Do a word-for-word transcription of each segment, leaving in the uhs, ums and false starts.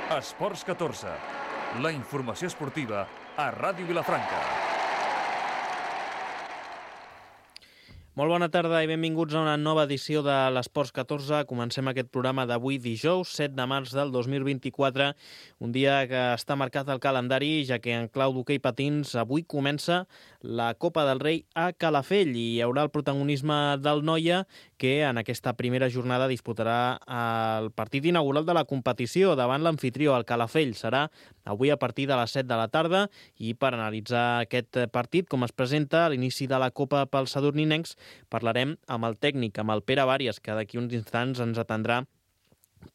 Esports catorze, la informació esportiva a Ràdio Vilafranca. Molt bona tarda i benvinguts a una nova edició de l'Esports catorze. Comencem aquest programa d'avui dijous, set de març del dos mil vint-i-quatre, un dia que està marcat al calendari, ja que en clau d'hoquei patins avui comença la Copa del Rei a Calafell i hi haurà el protagonisme del Noia, que en aquesta primera jornada disputarà el partit inaugural de la competició davant l'amfitrió, el Calafell. Serà avui a partir de les set de la tarda i per analitzar aquest partit, com es presenta a l'inici de la Copa pels sadurninencs, parlarem amb el tècnic, amb el Pere Vàries, que d'aquí uns instants ens atendrà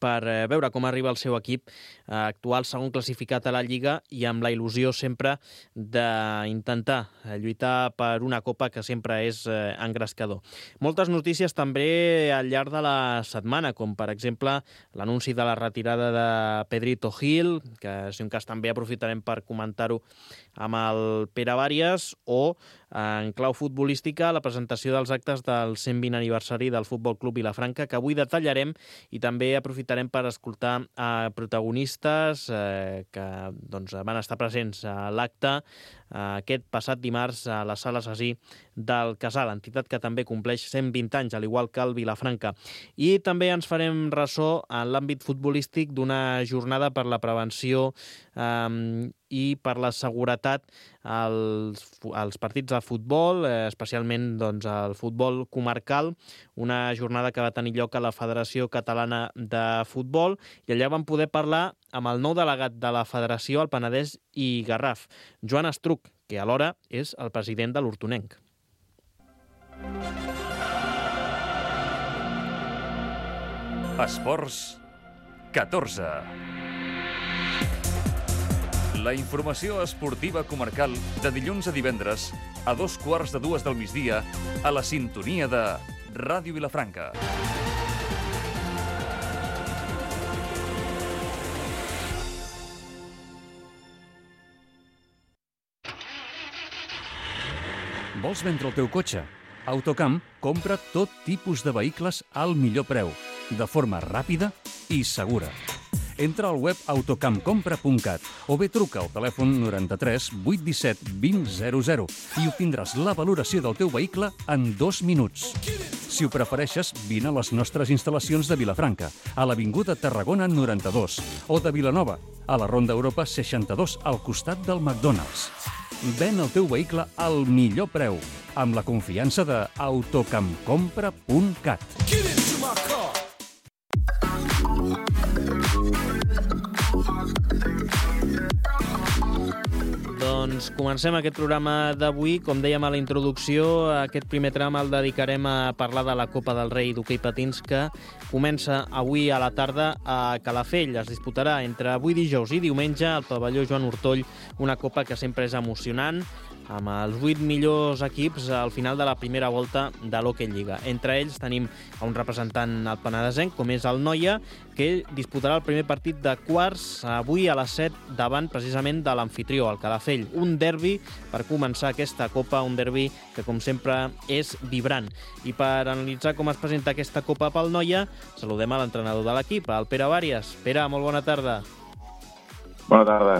per veure com arriba el seu equip actual segon classificat a la Lliga i amb la il·lusió sempre d'intentar lluitar per una copa que sempre és engrescador. Moltes notícies també al llarg de la setmana, com per exemple l'anunci de la retirada de Pedrito Gil, que si un cas també aprofitarem per comentar-ho amb el Pere Vàries, o en clau futbolística la presentació dels actes del cent vint aniversari del Futbol Club Vilafranca, que avui detallarem, i també aprofitarem per escoltar a protagonistes eh, que doncs, van estar presents a l'acte eh, aquest passat dimarts a la Sala Assassí del Casal, entitat que també compleix cent vint anys, al igual que el Vilafranca. I també ens farem ressò en l'àmbit futbolístic d'una jornada per la prevenció eh, i per la seguretat als, als partits de futbol, eh, especialment doncs, el futbol comarcal, una jornada que va tenir lloc a la Federació Catalana de Futbol, i allà vam poder parlar amb el nou delegat de la Federació al Penedès i Garraf, Joan Estruc, que alhora és el president de l'Hortonenc. Esports catorze. La informació esportiva comarcal de dilluns a divendres a dos quarts de dues del migdia a la sintonia de Ràdio Vilafranca. Vols vendre el teu cotxe? Autocamp compra tot tipus de vehicles al millor preu, de forma ràpida i segura. Entra al web autocampcompra punt cat o bé truca al telèfon noranta-tres vuit disset vint zero zero i obtindràs la valoració del teu vehicle en dos minuts. Si ho prefereixes, vine a les nostres instal·lacions de Vilafranca, a l'Avinguda Tarragona noranta-dos, o de Vilanova, a la Ronda Europa seixanta-dos, al costat del McDonald's. Ven el teu vehicle al millor preu, amb la confiança de autocampcompra punt cat. Doncs comencem aquest programa d'avui. Com dèiem a la introducció, aquest primer tram el dedicarem a parlar de la Copa del Rei d'hoquei patins, que comença avui a la tarda a Calafell. Es disputarà entre avui dijous i diumenge al pavelló Joan Ortoll, una copa que sempre és emocionant, amb els vuit millors equips al final de la primera volta de l'Hockey Lliga. Entre ells tenim a un representant al penedesenc, com és el Noia, que disputarà el primer partit de quarts avui a les set davant precisament de l'amfitrió, el Calafell. Un derbi per començar aquesta copa, un derbi que com sempre és vibrant. I per analitzar com es presenta aquesta copa pel Noia, saludem a l'entrenador de l'equip, el Pere Vàries. Pere, molt bona tarda. Bona tarda.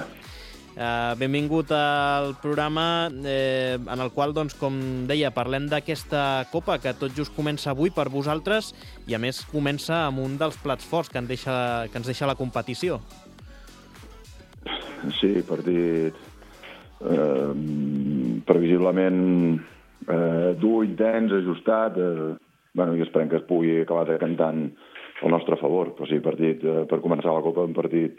Uh, benvingut al programa eh, en el qual, doncs, com deia, parlem d'aquesta copa que tot just comença avui per vosaltres i a més comença amb un dels plats forts que, en deixa, que ens deixa la competició. Sí, partit eh, previsiblement eh, dur, intens, ajustat, eh, bueno, i esperem que es pugui acabar decantant al nostre favor, però sí, partit eh, per començar la copa, un partit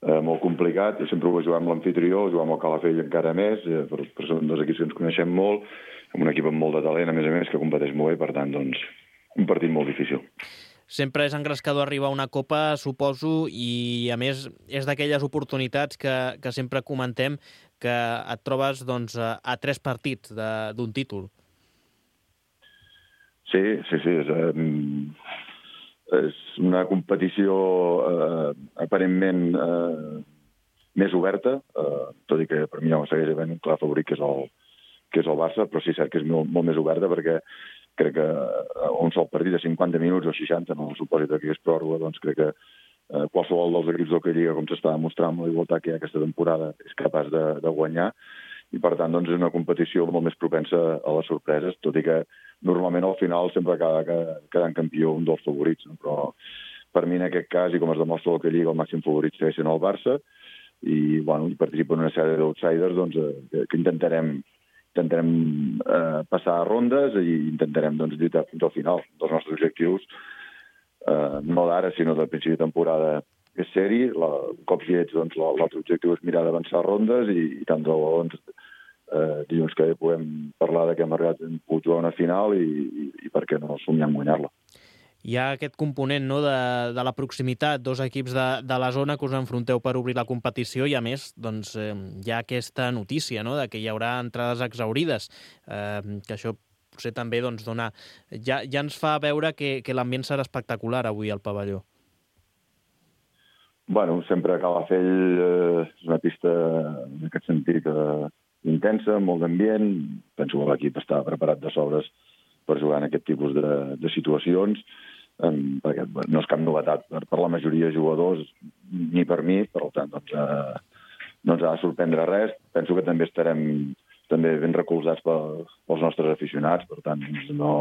Eh, molt complicat. Jo sempre ho jugar amb l'amfitrió, jugar amb el Calafell encara més, eh, per, per són dos equips que ens coneixem molt, amb un equip amb molt de talent, a més a més, que competeix molt bé, per tant, doncs, un partit molt difícil. Sempre és engrescador arribar a una copa, suposo, i a més és d'aquelles oportunitats que, que sempre comentem que et trobes doncs, a, a tres partits d'un títol. Sí, sí, sí. És, eh, és una competició eh, aparentment eh, més oberta, eh, tot i que per mi ja segueix havent un clar favorit, que és el, que és el Barça, però sí, cert que és molt, molt més oberta, perquè crec que un sol partit de cinquanta minuts o seixanta, en el supòsit que és pròrroga, doncs crec que eh, qualsevol dels equips del que Lliga, com s'està demostrant amb la igualtat que hi ha aquesta temporada, és capaç de, de guanyar, i per tant doncs, és una competició molt més propensa a les sorpreses, tot i que normalment al final sempre acaba quedant campió un dels favorits, no? Però per mi en aquest cas, i com es demostra el que Lliga, el màxim favorit segueix sent el Barça, i bueno, hi participa una sèrie d'outsiders doncs, eh, que intentarem, intentarem eh, passar a rondes i intentarem doncs, lluitar fins al final dels nostres objectius, eh, no d'ara, sinó del principi de temporada, és seri. La, cops llets, doncs, l'altre objectiu és mirar d'avançar rondes i, i tant de bo doncs, eh, dilluns que podem parlar de que hem arribat a jugar una final i, i, i per què no somiar en guanyar-la. Hi ha aquest component, no, de, de la proximitat, dos equips de, de la zona que us enfronteu per obrir la competició i, a més, doncs, eh, hi ha aquesta notícia, no?, de que hi haurà entrades exaurides, eh, que això potser també doncs, dona... ja, ja ens fa veure que, que l'ambient serà espectacular avui al pavelló. Bueno, sempre a Calafell eh, és una pista en aquest sentit eh, intensa, molt d'ambient. Penso que l'equip està preparat de sobres per jugar en aquest tipus de, de situacions, eh, perquè no és cap novetat per, per la majoria de jugadors, ni per mi, per tant, doncs, eh, no ens ha de sorprendre res. Penso que també estarem també ben recolzats pel, pels nostres aficionats, per tant, no,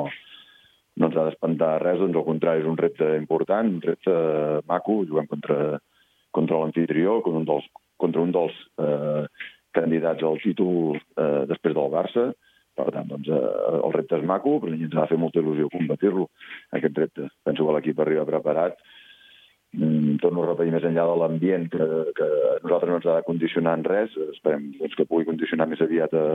no ens ha d'espantar res, doncs al contrari, és un repte important, un repte maco, juguem contra... contra l'anfitrió, contra un dels, contra un dels eh, candidats al títol eh, després del Barça. Per tant, doncs, eh, el repte és maco, però ens ha de fer molta il·lusió combatir-lo, aquest repte. Penso que l'equip arriba preparat. Mm, torno a repetir, més enllà de l'ambient, que, que a nosaltres no ens ha de condicionar en res. Esperem doncs, que pugui condicionar més aviat a,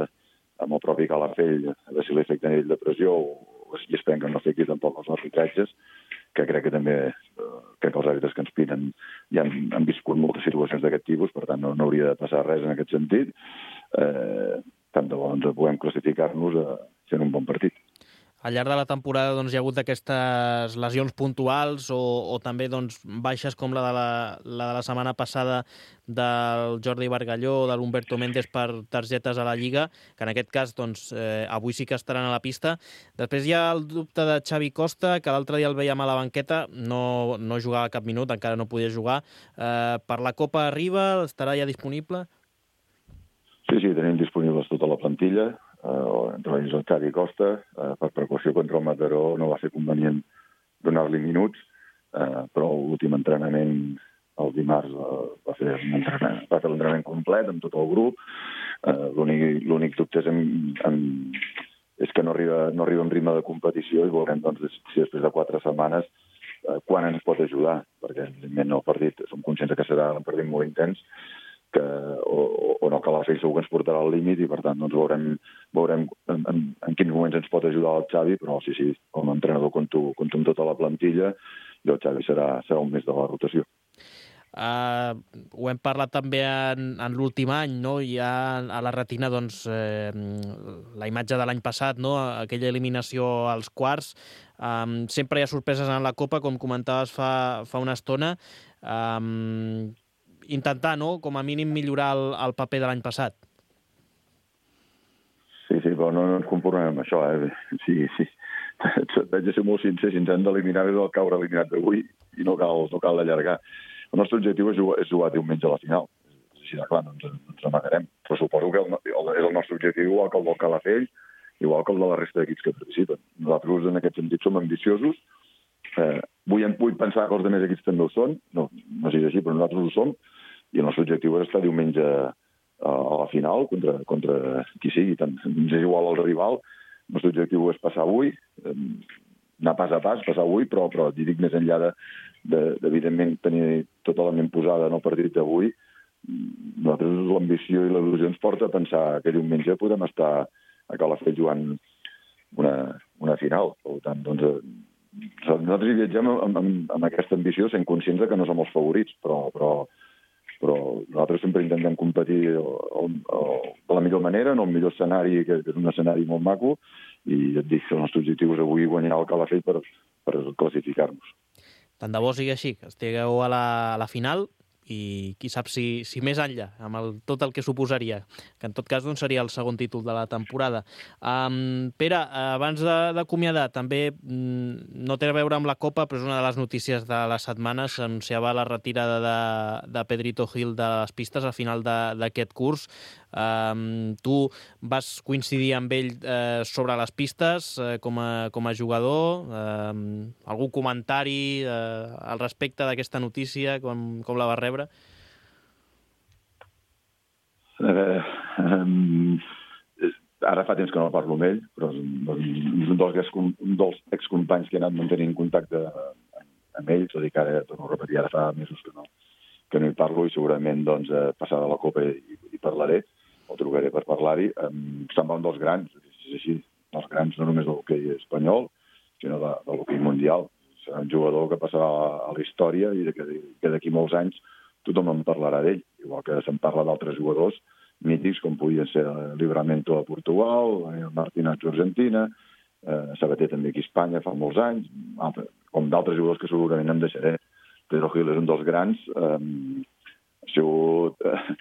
amb el propi Calafell, a veure si l'efecte a nivell de pressió, o si esperem que no afecti tampoc els arbitratges, que crec que també eh, crec que els àrbitres que ens pinen ja han, han viscut moltes situacions d'aquest tipus, per tant no, no hauria de passar res en aquest sentit. Eh, tant de bo ens puguem classificar-nos a fent un bon partit. Al llarg de la temporada doncs, hi ha hagut aquestes lesions puntuals o, o també doncs, baixes com la de la, la de la setmana passada del Jordi Bargalló o de l'Humberto Méndez per targetes a la Lliga, que en aquest cas doncs, eh, avui sí que estaran a la pista. Després hi ha el dubte de Xavi Costa, que l'altre dia el veiem a la banqueta, no, no jugava cap minut, encara no podia jugar. Eh, per la Copa arriba, estarà ja disponible? Sí, sí, tenim disponibles tota la plantilla. Uh, entre ells el Xavi Costa, uh, per precaució contra el Mataró no va ser convenient donar-li minuts, uh, però l'últim entrenament el dimarts uh, va fer un entrenament, va fer l'entrenament complet amb tot el grup. Uh, l'únic dubte és, en, en, és que no arriba, no arriba en ritme de competició i veurem doncs, si després de quatre setmanes uh, quan ens pot ajudar, perquè evidentment el partit som conscients que serà un partit molt intens, que, o, o no, que la Calafell segur que ens portarà al límit i per tant doncs, veurem, veurem en, en, en quins moments ens pot ajudar el Xavi, però sí, sí, com a entrenador compto, compto amb tota la plantilla i el Xavi serà, serà un mes de la rotació. Uh, ho hem parlat també en, en l'últim any, no? Hi ha a la retina doncs, eh, la imatge de l'any passat, no? Aquella eliminació als quarts. Um, sempre hi ha sorpreses en la Copa, com comentaves fa, fa una estona. Um, intentar, no?, com a mínim millorar el, el paper de l'any passat. Sí, sí, però no, no ens conformem amb això, eh? Sí, sí. Vaig a ser molt sincer, si ens hem d'eliminar és el caure eliminat d'avui i no cal, no cal allargar. El nostre objectiu és jugar, és jugar diumenge a la final. És així de clar, no ens, no ens amagarem. Però suposo que el, el, és el nostre objectiu igual que el del Calafell, igual que el de la resta d'equips que participen. Nosaltres en aquest sentit som ambiciosos. Eh, vull, vull pensar que els altres equips també ho són. No, no sigui així, però nosaltres ho som. I el nostre objectiu és estar diumenge a, a la final contra, contra qui sigui. Tant ens és igual al rival. El nostre objectiu és passar avui, eh, anar pas a pas, passar avui, però, però dic més enllà de, de, de, evidentment, tenir tota la ment posada en el partit d'avui. Nosaltres l'ambició i l'il·lusió ens porta a pensar que diumenge podem estar a Calafell jugant una, una final. Per tant, doncs, nosaltres hi viatgem amb, amb, amb aquesta ambició, sent conscients que no som els favorits, però, però però nosaltres sempre intentem competir el, el, el, de la millor manera, en el millor escenari, que és un escenari molt maco, i et dic que el nostre objectiu és avui guanyar el Calafell per, per classificar-nos. Tant de bo sigui així, que estigueu a la, a la final, i qui sap si, si més enllà, amb el, tot el que suposaria, que en tot cas doncs, seria el segon títol de la temporada. Um, Pere, abans d'acomiadar, també mm, no té a veure amb la Copa, però és una de les notícies de la setmana. S'anunciava la retirada de, de Pedrito Gil de les pistes al final d'aquest curs. Um, tu vas coincidir amb ell eh, sobre les pistes eh, com, a, com a jugador. Um, algun comentari eh, al respecte d'aquesta notícia, com, com la vas rebre? Eh, um, ara fa temps que no parlo amb ell, però és un, és un dels, un dels excompanys que he anat mantenint contacte amb ell, tot i que ara, torno a repetir, ara fa mesos que no, que no hi parlo, i segurament doncs, passada la Copa hi, hi parlaré, o trucaré per parlar-hi. Um, se'n va un dels grans, és així, dels grans no només del hoquei espanyol, sinó de, de l'hoquei mundial. Serà un jugador que passarà a la història i que d'aquí molts anys tothom en parlarà d'ell, igual que se'n parla d'altres jugadors mítics, com podien ser Livramento a Portugal, Martínez a Argentina, eh, Sabater també aquí a Espanya fa molts anys, altre, com d'altres jugadors que segurament em deixaré. Pedro Gil és un dels grans, eh, ha sigut eh,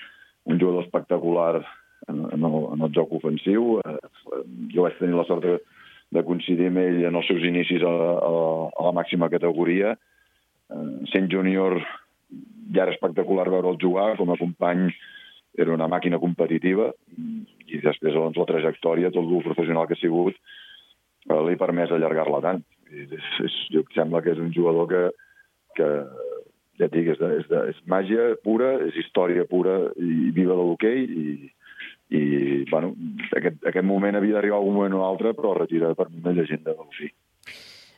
un jugador espectacular en, en, el, en el joc ofensiu. Eh, jo vaig tenir la sort de, de coincidir amb ell en els seus inicis a, a, a la màxima categoria. Eh, sent júnior ja era espectacular veure'l jugar, com a company era una màquina competitiva, i després doncs, la trajectòria, tot el professional que ha sigut, eh, li ha permès allargar-la tant. I és, és, jo em sembla que és un jugador que, que ja et dic, és, de, és, de, és màgia pura, és història pura i viva de l'hoquei, i, i bueno, aquest, aquest moment havia d'arribar algun moment o altre, però retira per mi una llegenda de l'hoquei.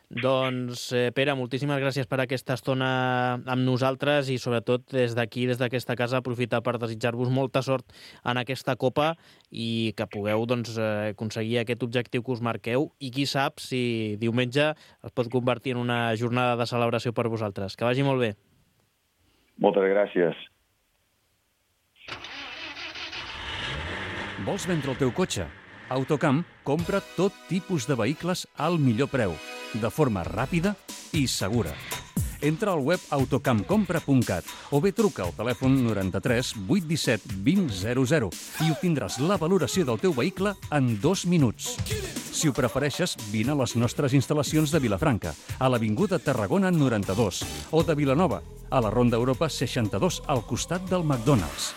Doncs, eh, Pere, moltíssimes gràcies per aquesta estona amb nosaltres i sobretot des d'aquí, des d'aquesta casa, aprofitar per desitjar-vos molta sort en aquesta Copa i que pugueu doncs, eh, aconseguir aquest objectiu que us marqueu, i qui sap si diumenge es pot convertir en una jornada de celebració per vosaltres. Que vagi molt bé. Moltes gràcies. Vols vendre el teu cotxe? Autocamp compra tot tipus de vehicles al millor preu, de forma ràpida i segura. Entra al web autocamp compra punt cat o bé truca al telèfon noranta-tres vuit disset vint zero zero i obtindràs la valoració del teu vehicle en dos minuts. Si ho prefereixes, vine a les nostres instal·lacions de Vilafranca, a l'Avinguda Tarragona noranta-dos, o de Vilanova, a la Ronda Europa seixanta-dos, al costat del McDonald's.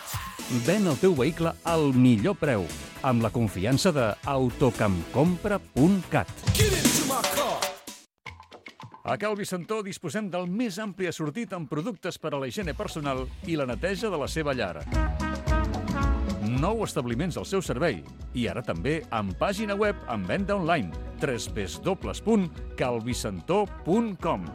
Ven el teu vehicle al millor preu, amb la confiança de autocamp compra punt cat. A Cal Vicentó disposem del més ampli assortit en productes per a la higiene personal i la neteja de la seva llar. Nou establiments al seu servei i ara també amb pàgina web amb venda online w w w punt calvicentó punt com.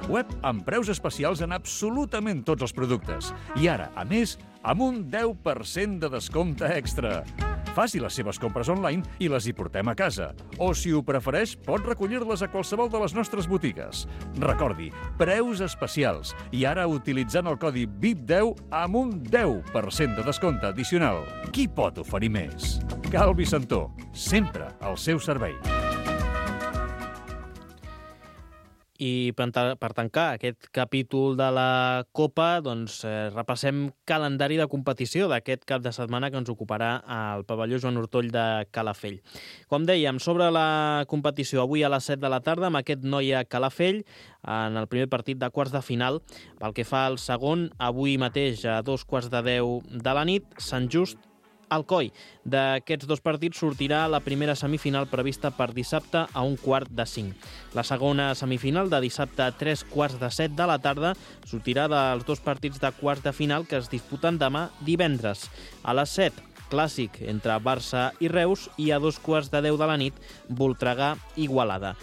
Web amb preus especials en absolutament tots els productes i ara, a més, amb un deu per cent de descompte extra. Faci les seves compres online i les hi portem a casa. O, si ho prefereix, pot recollir-les a qualsevol de les nostres botigues. Recordi, preus especials. I ara utilitzant el codi V I P deu amb un deu per cent de descompte addicional. Qui pot oferir més? Cal Vicentó, sempre al seu servei. I per, per tancar aquest capítol de la Copa, doncs, eh, repassem calendari de competició d'aquest cap de setmana que ens ocuparà al pavelló Joan Ortoll de Calafell. Com dèiem, sobre la competició avui a les set de la tarda amb aquest Noia Calafell en el primer partit de quarts de final. Pel que fa al segon, avui mateix a dos quarts de deu de la nit, Sant Just Alcoi. D'aquests dos partits sortirà la primera semifinal prevista per dissabte a un quart de cinc. La segona semifinal de dissabte a tres quarts de set de la tarda sortirà dels dos partits de quarts de final que es disputen demà divendres. A les set, clàssic entre Barça i Reus, i a dos quarts de deu de la nit, Voltregà-Igualada.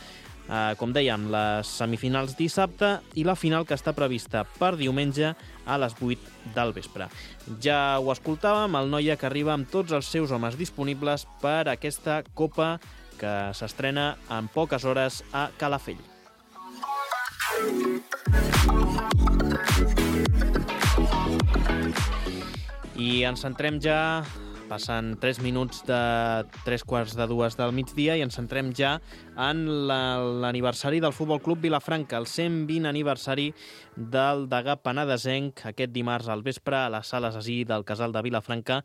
Uh, com dèiem, les semifinals dissabte i la final que està prevista per diumenge a les vuit del vespre. Ja ho escoltàvem, el Noia que arriba amb tots els seus homes disponibles per aquesta Copa que s'estrena en poques hores a Calafell. I ens centrem ja Passen tres minuts de tres quarts de dues del migdia i ens centrem ja en l'aniversari del Futbol Club Vilafranca, el cent vint aniversari del degà penedesenc. Aquest dimarts al vespre a les sales Así del Casal de Vilafranca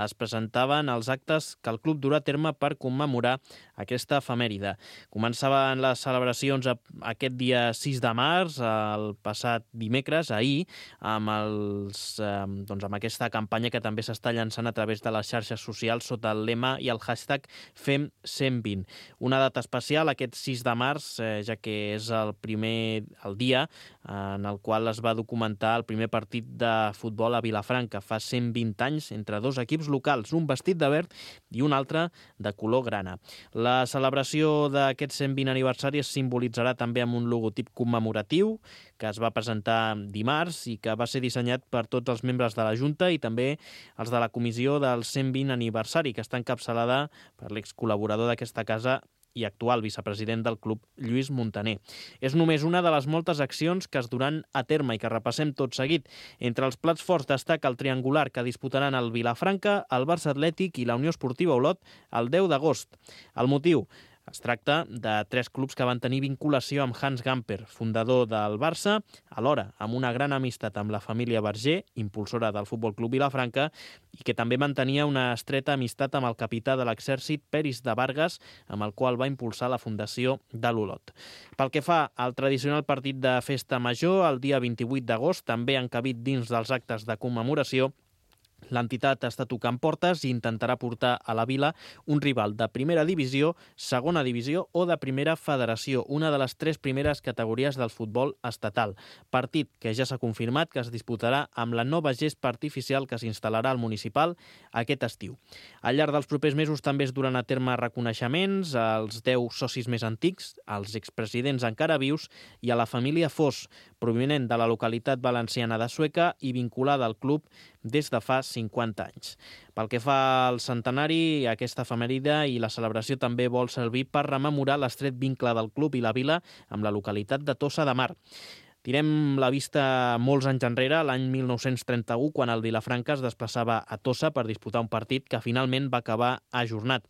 es presentaven els actes que el club durà a terme per commemorar aquesta efemèride. Començaven les celebracions aquest dia sis de març, el passat dimecres, ahir, amb, els, eh, doncs amb aquesta campanya que també s'està llançant a través de les xarxes socials sota el lema i el hashtag Fem cent vint. Una data especial aquest sis de març, eh, ja que és el primer el dia en el qual es va documentar el primer partit de futbol a Vilafranca, fa cent vint anys, entre dos equips locals, un vestit de verd i un altre de color grana. La celebració d'aquest cent vint aniversari es simbolitzarà també amb un logotip commemoratiu que es va presentar dimarts i que va ser dissenyat per tots els membres de la Junta i també els de la comissió del cent vint aniversari, que està encapçalada per l'excol·laborador d'aquesta casa i actual vicepresident del club, Lluís Montaner. És només una de les moltes accions que es duran a terme i que repassem tot seguit. Entre els plats forts destaca el triangular que disputaran el Vilafranca, el Barça Atlètic i la Unió Esportiva Olot el deu d'agost. El motiu? Es tracta de tres clubs que van tenir vinculació amb Hans Gamper, fundador del Barça, alhora amb una gran amistat amb la família Verger, impulsora del Futbol Club Vilafranca, i que també mantenia una estreta amistat amb el capità de l'exèrcit Peris de Vargas, amb el qual va impulsar la fundació de l'Olot. Pel que fa al tradicional partit de festa major, el dia vint-i-vuit d'agost, també encabit dins dels actes de commemoració, l'entitat està tocant portes i intentarà portar a la vila un rival de primera divisió, segona divisió o de primera federació, una de les tres primeres categories del futbol estatal. Partit que ja s'ha confirmat que es disputarà amb la nova gespa artificial que s'instal·larà al municipal aquest estiu. Al llarg dels propers mesos també es duran a terme reconeixements als deu socis més antics, als expresidents encara vius i a la família Fos, provinent de la localitat valenciana de Sueca i vinculada al club des de fa cinquanta anys. Pel que fa al centenari, aquesta efemèride i la celebració també vol servir per rememorar l'estret vincle del club i la vila amb la localitat de Tossa de Mar. Tirem la vista molts anys enrere, l'any mil nou-cents trenta-u, quan el Vilafranca es desplaçava a Tossa per disputar un partit que finalment va acabar ajornat.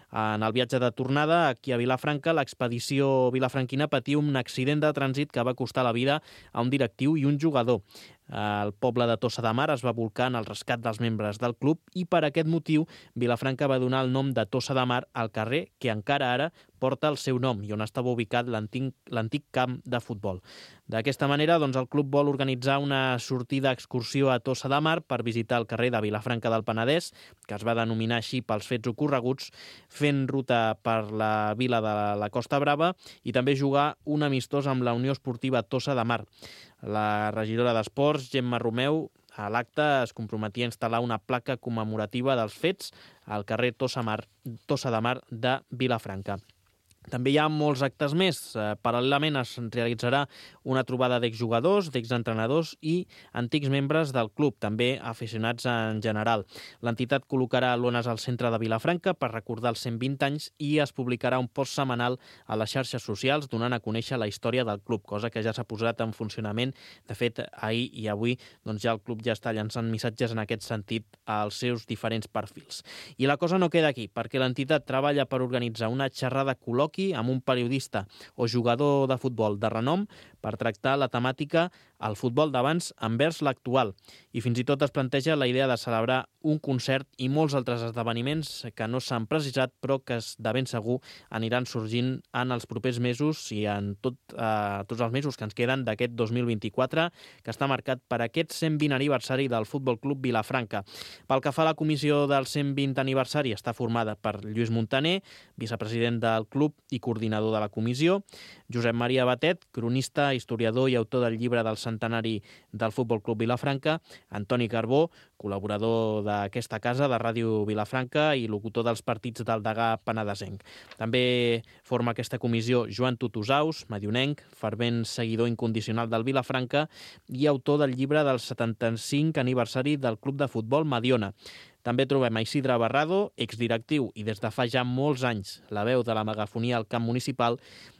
En el viatge de tornada aquí a Vilafranca, l'expedició vilafranquina patia un accident de trànsit que va costar la vida a un directiu i un jugador. El poble de Tossa de Mar es va volcar en el rescat dels membres del club i per aquest motiu Vilafranca va donar el nom de Tossa de Mar al carrer que encara ara porta el seu nom i on estava ubicat l'antic camp de futbol. D'aquesta manera, doncs, el club vol organitzar una sortida excursió a Tossa de Mar per visitar el carrer de Vilafranca del Penedès, que es va denominar així pels fets ocorreguts, fent ruta per la vila de la Costa Brava i també jugar un amistós amb la Unió Esportiva Tossa de Mar. La regidora d'Esports, Gemma Romeu, a l'acte es comprometia a instal·lar una placa commemorativa dels fets al carrer Tossa, Mar, Tossa de Mar de Vilafranca. També hi ha molts actes més. Paral·lelament es realitzarà una trobada d'exjugadors, d'exentrenadors i antics membres del club, també aficionats en general. L'entitat col·locarà lones al centre de Vilafranca per recordar els cent vint anys i es publicarà un post setmanal a les xarxes socials donant a conèixer la història del club, cosa que ja s'ha posat en funcionament. De fet, ahir i avui doncs ja el club ja està llançant missatges en aquest sentit als seus diferents perfils. I la cosa no queda aquí, perquè l'entitat treballa per organitzar una xerrada col·loqui amb un periodista o jugador de futbol de renom per tractar la temàtica el futbol d'abans envers l'actual. I fins i tot es planteja la idea de celebrar un concert i molts altres esdeveniments que no s'han precisat però que de ben segur aniran sorgint en els propers mesos i en tot, eh, tots els mesos que ens queden d'aquest dos mil vint-i-quatre, que està marcat per aquest cent vint aniversari del Futbol Club Vilafranca. Pel que fa a la comissió del cent vint aniversari, està formada per Lluís Montaner, vicepresident del club i coordinador de la comissió, Josep Maria Batet, cronista, historiador i autor del llibre del centenari del Futbol Club Vilafranca, Antoni Carbó, col·laborador d'aquesta casa, de Ràdio Vilafranca i locutor dels partits del degà penedesenc. També forma aquesta comissió Joan Tutusaus, medionenc, fervent seguidor incondicional del Vilafranca i autor del llibre del setanta-cinc aniversari del Club de Futbol Mediona. També trobem a Isidre Barrado, exdirectiu i des de fa ja molts anys la veu de la megafonia al camp municipal,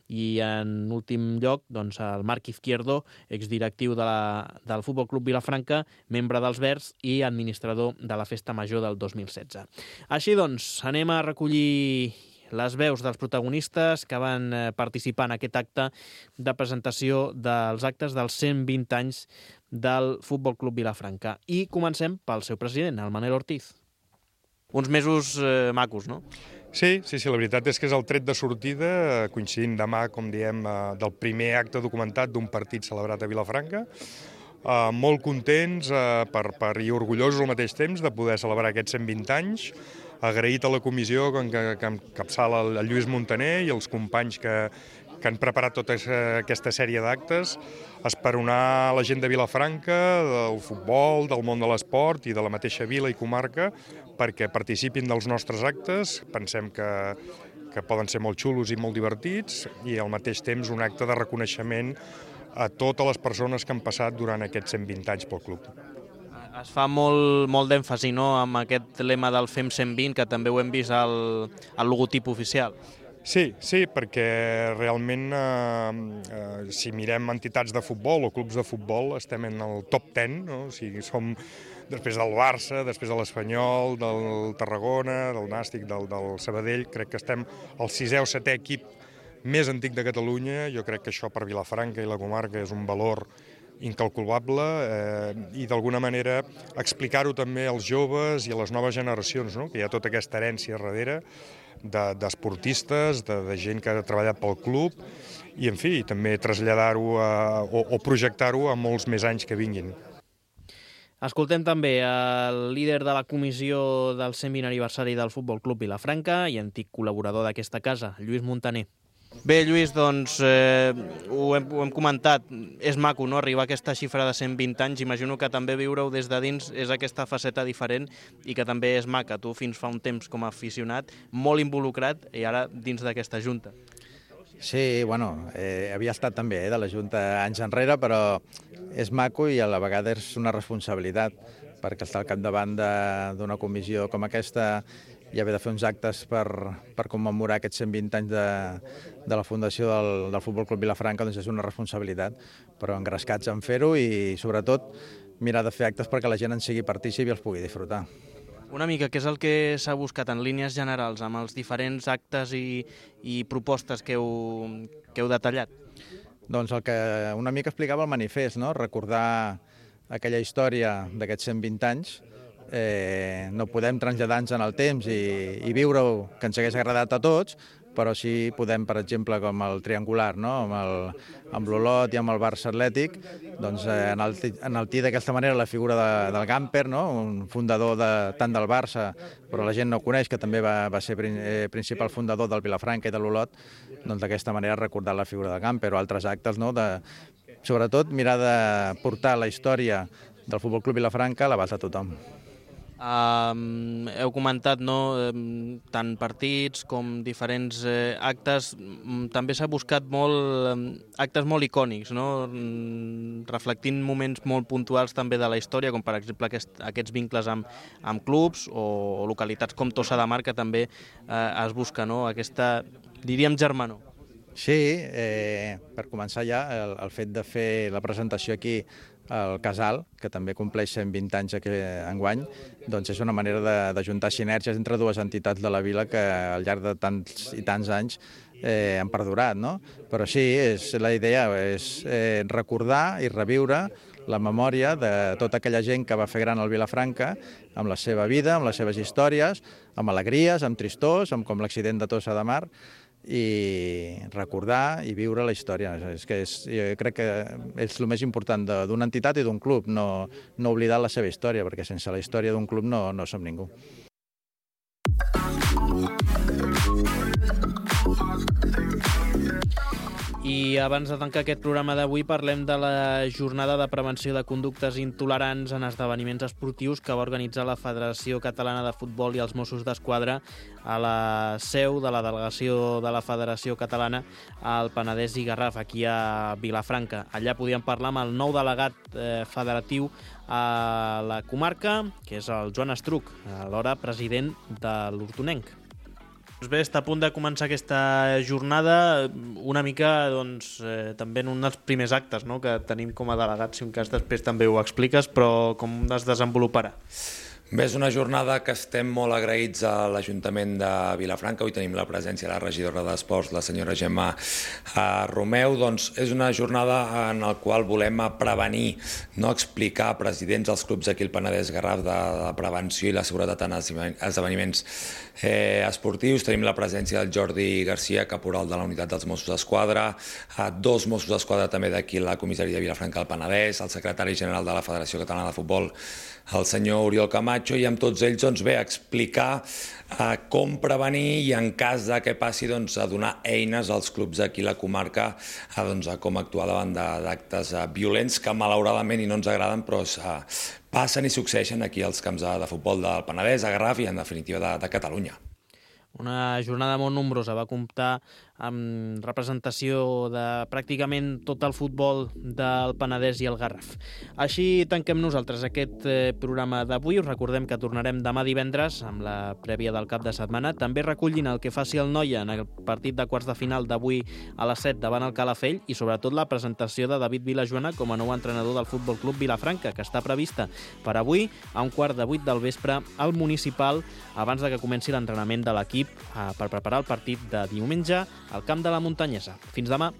i en últim lloc doncs, el Marc Izquierdo, exdirectiu de la, del Futbol Club Vilafranca, membre dels Verds i administrador de la Festa Major del dos mil setze. Així doncs, anem a recollir les veus dels protagonistes que van participar en aquest acte de presentació dels actes dels cent vint anys del Futbol Club Vilafranca. I comencem pel seu president, el Manel Ortiz. Uns mesos eh, macos, no? Sí, sí, sí, la veritat és que és el tret de sortida, coincidint demà, com diem, del primer acte documentat d'un partit celebrat a Vilafranca. Uh, molt contents uh, per, per, i orgullosos al mateix temps de poder celebrar aquests cent vint anys. Agraït a la comissió que, que, que encapçala el Lluís Montaner i els companys que, que han preparat tota aquesta sèrie d'actes, esperonar la gent de Vilafranca, del futbol, del món de l'esport i de la mateixa vila i comarca perquè participin dels nostres actes. Pensem que, que poden ser molt xulos i molt divertits i al mateix temps un acte de reconeixement a totes les persones que han passat durant aquests cent vint anys pel club. Es fa molt, molt d'èmfasi, no?, amb aquest lema del Fem cent vint, que també ho hem vist al, al logotip oficial. Sí, sí, perquè realment eh, eh, si mirem entitats de futbol o clubs de futbol estem en el top deu, no? O sigui, som després del Barça, després de l'Espanyol, del Tarragona, del Nàstic, del, del Sabadell, crec que estem al sisè o setè equip més antic de Catalunya. Jo crec que això per Vilafranca i la comarca és un valor incalculable eh, i d'alguna manera explicar-ho també als joves i a les noves generacions, no? Que hi ha tota aquesta herència darrere d'esportistes, de, de gent que ha treballat pel club i, en fi, també traslladar-ho o, o projectar-ho a molts més anys que vinguin. Escoltem també el líder de la comissió del cent vint aniversari del Futbol Club Vilafranca i antic col·laborador d'aquesta casa, Lluís Montaner. Bé, Lluís, doncs eh, ho, hem, ho hem comentat, és maco, no?, arribar a aquesta xifra de cent vint anys. Imagino que també viure-ho des de dins és aquesta faceta diferent i que també és maca. Tu fins fa un temps com a aficionat, molt involucrat, i ara dins d'aquesta junta. Sí, bueno, eh, havia estat també eh, de la junta anys enrere, però és maco i a la vegada és una responsabilitat, perquè estar al capdavant d'una comissió com aquesta i haver de fer uns actes per, per commemorar aquests cent vint anys de, de la fundació del, del Futbol Club Vilafranca, doncs és una responsabilitat, però engrescats en fer-ho i, sobretot, mirar de fer actes perquè la gent en sigui partícip i els pugui disfrutar. Una mica, què és el que s'ha buscat en línies generals amb els diferents actes i, i propostes que heu, que heu detallat? Doncs el que una mica explicava el manifest, no? Recordar aquella història d'aquests cent vint anys. Eh, no podem traslladar-nos en el temps i, i viure-ho, que ens hagués agradat a tots, però sí podem, per exemple, com el triangular, no? amb, el, amb l'Olot i amb el Barça Atlètic, doncs, eh, enaltir d'aquesta manera la figura de, del Gamper, no? Un fundador de, tant del Barça, però la gent no coneix, que també va, va ser prin, eh, principal fundador del Vilafranca i de l'Olot, doncs d'aquesta manera recordar la figura del Gamper o altres actes, no? De, sobretot mirar de portar la història del Futbol Club Vilafranca a l'abast de tothom. Um, heu comentat, no, um, tant partits com diferents eh, actes. Um, també s'ha buscat molt um, actes molt icònics, no? Um, reflectint moments molt puntuals també de la història, com per exemple aquest, aquests vincles amb, amb clubs o, o localitats com Tossa de Mar, que també eh, es busca, no? Aquesta, diríem, germanor. Sí, eh, per començar ja, el, el fet de fer la presentació aquí el Casal, que també compleix cent vint anys enguany, doncs és una manera de, de juntar sinergies entre dues entitats de la vila que al llarg de tants i tants anys eh, han perdurat, no? Però sí, és, la idea és eh, recordar i reviure la memòria de tota aquella gent que va fer gran el Vilafranca, amb la seva vida, amb les seves històries, amb alegries, amb tristors, amb com l'accident de Tossa de Mar, i recordar i viure la història. És que és, jo crec que és el més important d'una entitat i d'un club, no, no oblidar la seva història, perquè sense la història d'un club no, no som ningú. I abans de tancar aquest programa d'avui parlem de la jornada de prevenció de conductes intolerants en esdeveniments esportius que va organitzar la Federació Catalana de Futbol i els Mossos d'Esquadra a la seu de la delegació de la Federació Catalana al Penedès i Garraf, aquí a Vilafranca. Allà podíem parlar amb el nou delegat eh, federatiu a la comarca, que és el Joan Estruc, alhora president de l'Hortonenc. Doncs bé, està a punt de començar aquesta jornada, una mica doncs, eh, també en un dels primers actes, no?, que tenim com a delegats, si un cas després també ho expliques, però com es desenvoluparà? Bé, és una jornada que estem molt agraïts a l'Ajuntament de Vilafranca. Avui tenim la presència de la regidora d'Esports, la senyora Gemma Romeu. Doncs és una jornada en la qual volem prevenir, no explicar a presidents dels clubs aquí al Penedès Garraf de la prevenció i la seguretat en esdeveniments eh, esportius. Tenim la presència del Jordi Garcia, caporal de la unitat dels Mossos d'Esquadra, dos Mossos d'Esquadra també d'aquí a la comissaria de Vilafranca del Penedès, el secretari general de la Federació Catalana de Futbol, el senyor Oriol Camacho, i amb tots ells doncs, bé, explicar eh, com prevenir i en cas de que passi doncs, a donar eines als clubs d'aquí a la comarca a, doncs, a com actuar davant d'actes eh, violents que malauradament i no ens agraden però eh, passen i succeeixen aquí als camps de, de futbol del Penedès, a Garraf i en definitiva de, de Catalunya. Una jornada molt nombrosa, va comptar amb representació de pràcticament tot el futbol del Penedès i el Garraf. Així tanquem nosaltres aquest eh, programa d'avui. Us recordem que tornarem demà divendres amb la prèvia del cap de setmana. També recollint el que faci el Noia en el partit de quarts de final d'avui a les set davant el Calafell i sobretot la presentació de David Vilajoana com a nou entrenador del Futbol Club Vilafranca, que està prevista per avui a un quart de vuit del vespre al Municipal abans de que comenci l'entrenament de l'equip eh, per preparar el partit de diumenge al camp de la Muntanyesa. Fins demà.